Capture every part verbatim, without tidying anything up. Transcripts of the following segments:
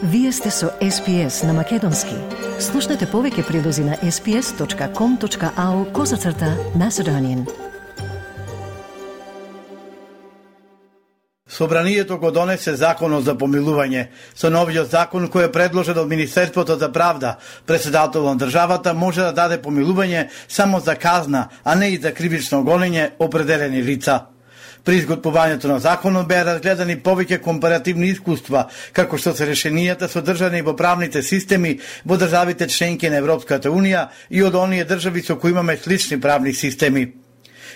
Вие сте со Ес Пи Ес на Македонски. Слушнете повеќе прилози на ес пи ес точка ком точка ау козацрта Macedonian. Собранието го донесе законот за помилување. Со новиот закон кој е предложен од Министерството за правда, председател на државата може да даде помилување само за казна, а не и за кривично гонење определени лица. При изготвувањето на законот беа разгледани повеќе компаративни искуства, како што се решенијата содржани во правните системи во државите членки на Европската Унија и од оние држави со кои имаме слични правни системи.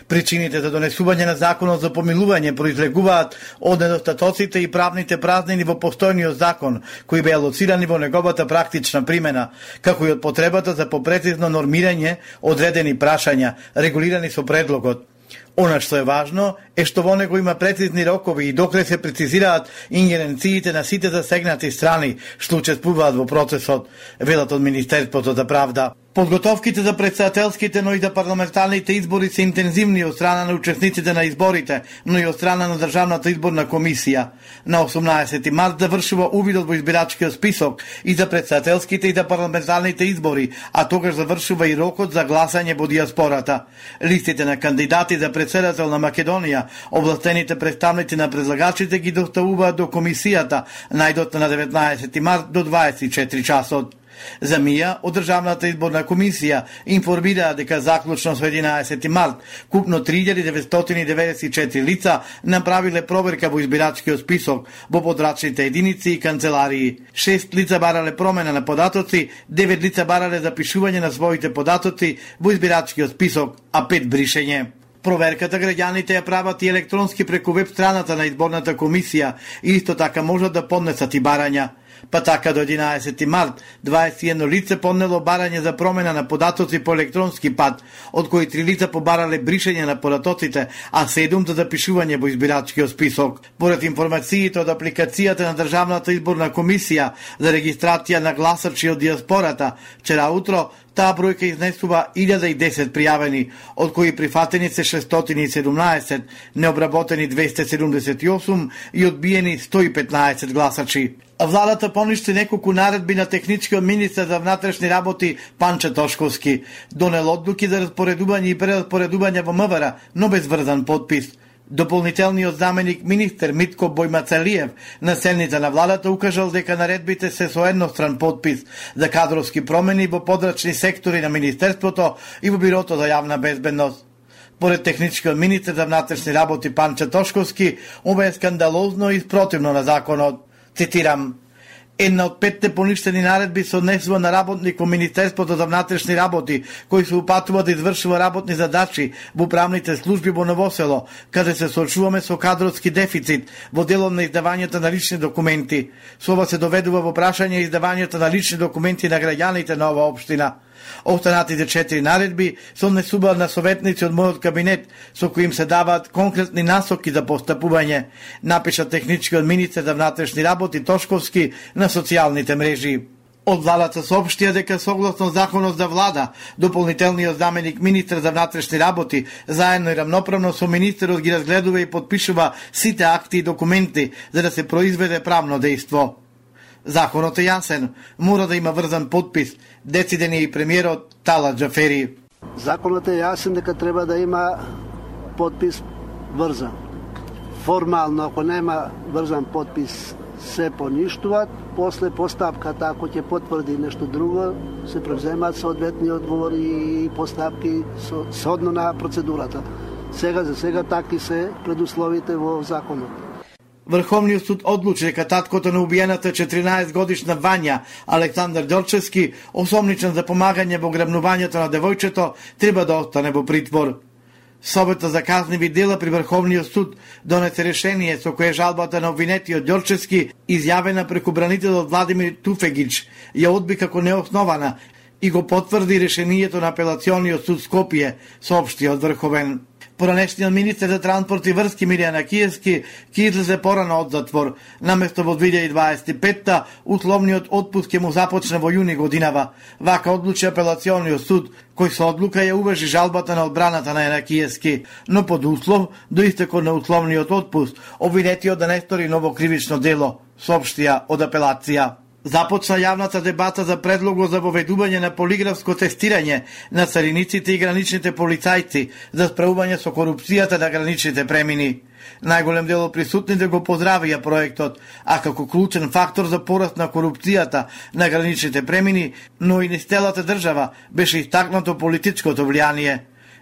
Причините за донесување на законот за помилување произлегуваат од недостатоците и правните празнини во постојниот закон, кои беа лоцирани во неговата практична примена, како и од потребата за попрецизно нормирање одредени прашања, регулирани со предлогот. Она што е важно е што во него има прецизни рокови и докле се прецизираат ингеренциите на сите засегнати страни што учествуваат во процесот, велат од Министерството за правда. Подготовките за претседателските, но и за парламентарните избори се интензивни од страна на учесниците на изборите, но и од страна на Државната изборна комисија. На осумнаесети март завршува увидот во избирачкиот список и за претседателските и за парламентарните избори, а тогаш завршува и рокот за гласање во диаспората. Листите на кандидати за претседател на Македонија, овластените представници на предлагачите ги доставуваат до комисијата најдотна на деветнаесети март до дваесет и четири часот. За МИА, од Државната изборна комисија информираа дека заклучно со единаесети март купно три илјади деветстотини деветдесет и четири лица направиле проверка во избирачкиот список во подрачните единици и канцеларии. Шест лица барале промена на податоци, девет лица барале запишување на своите податоци во избирачкиот список, а пет бришење. Проверката граѓаните ја прават и електронски преку веб страната на изборната комисија и исто така можат да поднесат и барања. Па така до единаесети март, дваесет и едно лице поднело барање за промена на податоци по електронски пат, од кои три лица побарале бришење на податоците, а седум за запишување во избирачкиот список. Поред информациите од апликацијата на Државната изборна комисија за регистрација на гласачи од диаспората, вчера утро таа бројка изнесува илјада и десет пријавени, од кои прифатени се шестстотини и седумнаесет, необработени двесте седумдесет и осум и одбиени сто и петнаесет гласачи. Владата поништи неколку наредби на техничкиот министер за внатрешни работи Панче Тошковски. Донел одлуки за распоредување и прераспоредување во МВР, но без врзан подпис. Дополнителниот заменик министер Митко Бојмацалиев на седница на владата укажал дека наредбите се со едностран подпис за кадровски промени во подрачни сектори на Министерството и во Бирото за јавна безбедност. Поред техничкиот министер за внатрешни работи Панче Тошковски, ова е скандалозно и спротивно на законот. Цитирам: една од петте поништени наредби се однесува на работник во Министерството за внатрешни работи, кој се упатува да извршува работни задачи во правните служби во Новосело, каде се соочуваме со кадровски дефицит во делот на издавањето на лични документи. Со ова се доведува во прашање издавањето на лични документи на граѓаните на оваа општина. Останатите четири наредби се однесуваат на советници од мојот кабинет, со кои им се даваат конкретни насоки за постапување, напиша техничкиот министер за внатрешни работи Тошковски на социјалните мрежи. Од владата соопштија дека согласно законот за влада, дополнителниот заменик министер за внатрешни работи заедно и рамноправно со министерот ги разгледува и подпишува сите акти и документи за да се произведе правно дејство. Законот е јасен, мора да има врзан подпис, дециден е и премиерот Талат Џафери. Законот е јасен дека треба да има подпис врзан. Формално, ако нема врзан подпис, се поништуваат, после постапката, ако ќе потврди нешто друго, се превземаат соодветни одговори и постапки сhodно на процедурата. Сега за сега таки се предусловите во законот. Врховниот суд одлучи дека таткото на убиената четиринаесет годишна Вања, Александар Ѓорчевски, осомничен за помагање во грабнувањето на девојчето, треба да остане во притвор. Советот за казниви дела при Врховниот суд донесе решение со кое жалбата на обвинетиот Ѓорчевски, изјавена преку бранителот Владимир Туфегич, ја одби како неоснована и го потврди решението на апелациониот суд Скопје, соопшти од Врховен. Поранешниот министер за транспорт и врски Миријана Киевски ќе излезе порано од затвор. Наместо во две илјади дваесет и петта, условниот отпуск ќе му започне во јуни годинава. Вака одлучи апелациониот суд, кој со одлука ја уважи жалбата на одбраната на Киевски, но под услов до истекот на условниот отпуск, обвинетиот да не стори ново кривично дело, соопштија од апелација. Започна јавната дебата за предлогот за воведување на полиграфско тестирање на цариниците и граничните полицајци за справување со корупцијата на граничните премини. Најголем дел од присутните го поздравија проектот, а како клучен фактор за пораст на корупцијата на граничните премини, но и низ целата држава беше истакнато политичкото влијание.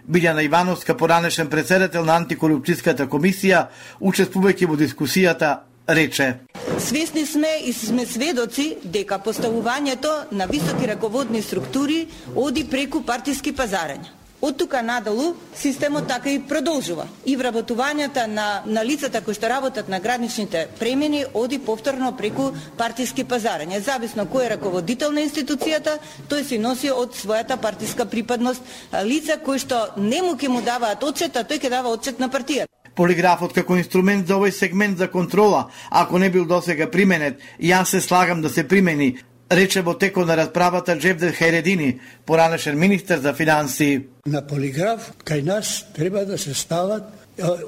Билјана Ивановска, поранешен претседател на антикорупцијската комисија, учествувајќи во дискусијата, рече: Свесни сме и сме сведоци дека поставувањето на високи раководни структури оди преку партиски пазарања. Од тука надалу системот така и продолжува. И вработувањата на, на лицата кои што работат на граничните премини оди повторно преку партиски пазарања. Зависно кој е раководител на институцијата, тој се носи од својата партиска припадност. Лица кои што не му ќе му даваат отчет, а тој ќе дава отчет на партијата. Полиграфот како инструмент за овој сегмент за контрола, ако не бил досега применет, јас се слагам да се примени, рече во текот на расправата Джевдет Хајредини, поранешен министер за финансии. На полиграф кај нас треба да се стават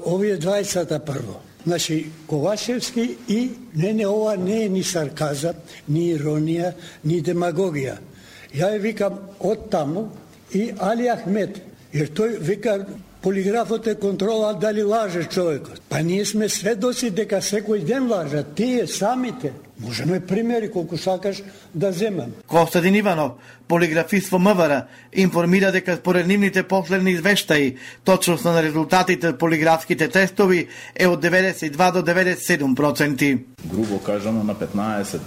овие двајцата прво. Значи, Ковачевски и не, не, ова не е ни сарказам, ни иронија, ни демагогија. Ја ја викам од таму и Али Ахмет, jer тој вика полиграфот е контрола дали лаже човекот. Па ние сме сведоци дека секој ден лажат, тие самите. Можеме примери колку сакаш да земам. Костадин Иванов, полиграфист во МВР, информира дека според нивните последни извештаи, точноста на резултатите од полиграфските тестови е од деветдесет и два до деветдесет и седум проценти. Грубо кажано, на петнаесет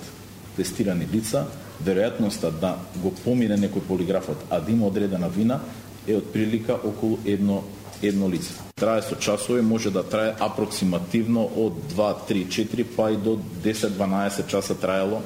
тестирани лица, веројатноста да го помине некој полиграфот, а да има одредена вина, е од прилика околу едно едно лице. Трае со часови, може да трае апроксимативно од два, три, четири, па и до десет до дванаесет часа траело,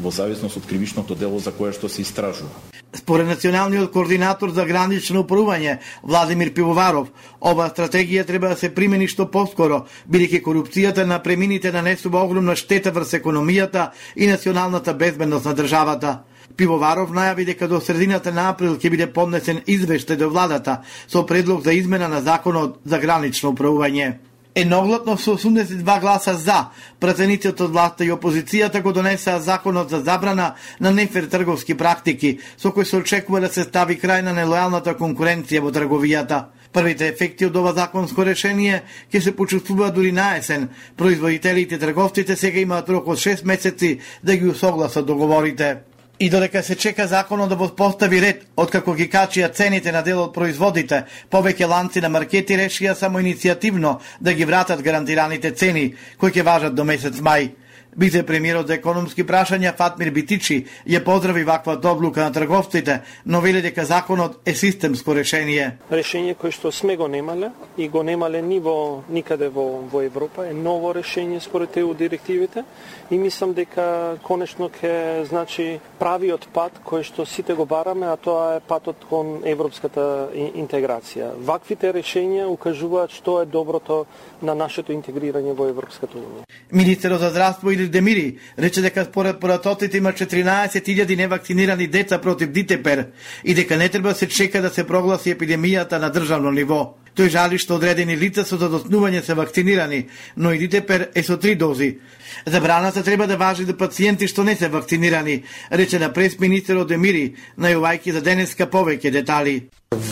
во зависност од кривичното дело за кое што се истражува. Според националниот координатор за гранично управување Владимир Пивоваров, ова стратегија треба да се примени што поскоро, бидејќи корупцијата на премините нанесува огромна штета врз економијата и националната безбедност на државата. Пивоваров најави дека до средината на април ќе биде поднесен извештај до владата со предлог за измена на законот за гранично управување. Едногласно со осумдесет и два гласа за, пратениците од власта и опозицијата го донесаа законот за забрана на нефер трговски практики, со кој се очекува да се стави крај на нелојалната конкуренција во трговијата. Првите ефекти од ова законско решение ќе се почувствуваат дури на есен. Производителите и трговците сега имаат рок од шест месеци да ги усогласат договорите. И додека се чека законот да воспостави ред, откако ги качија цените на дел од производите, повеќе ланци на маркети решија само иницијативно да ги вратат гарантираните цени, кои ќе важат до месец мај. Вице-премиерот за економски прашања Фатмир Битичи ја поздрави ваквата одлука на трговците, но вели дека законот е системско решение. Решение кое што сме го немале и го немале ни во никаде во во Европа е ново решение според ЕУ директивите и мислам дека конечно ќе значи правиот пат кој што сите го бараме, а тоа е патот кон европската интеграција. Ваквите решенија укажуваат што е доброто на нашето интегрирање во Европската унија. Министерот за здравство Илир Демири рече дека според поратоците има четиринаесет илјади невакцинирани деца против дитепер и дека не треба да се чека да се прогласи епидемијата на државно ниво. Тој жали што одредени лица со задоснување се вакцинирани, но и дитепер е со три дози. Забраната треба да важи за пациенти што не се вакцинирани, рече на прес-министерот Демири, најувајќи за денеска повеќе детали.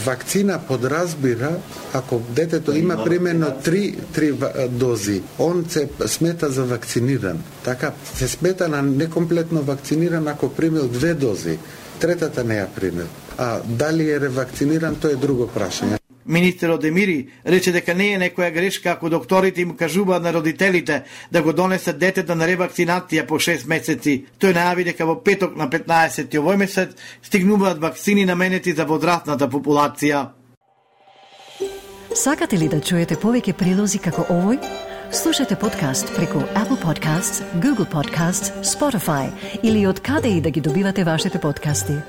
Вакцина подразбира ако детето има примерно три, три дози, он се смета за вакциниран. Така се смета на некомплетно вакциниран ако примил две дози, третата не ја примил. А дали е ревакциниран, тоа е друго прашање. Министерот Демири рече дека не е некоја грешка ако докторите им кажуваат на родителите да го донесат детето на ревакцинација по шест месеци. Тој најави дека во петок на петнаесети овој месец стигнуваат вакцини наменети за возрастната популација. Сакате ли да чуете повеќе прилози како овој? Слушате подкаст преку Apple Podcasts, Google Podcasts, Spotify или од каде и да ги добивате вашите подкасти.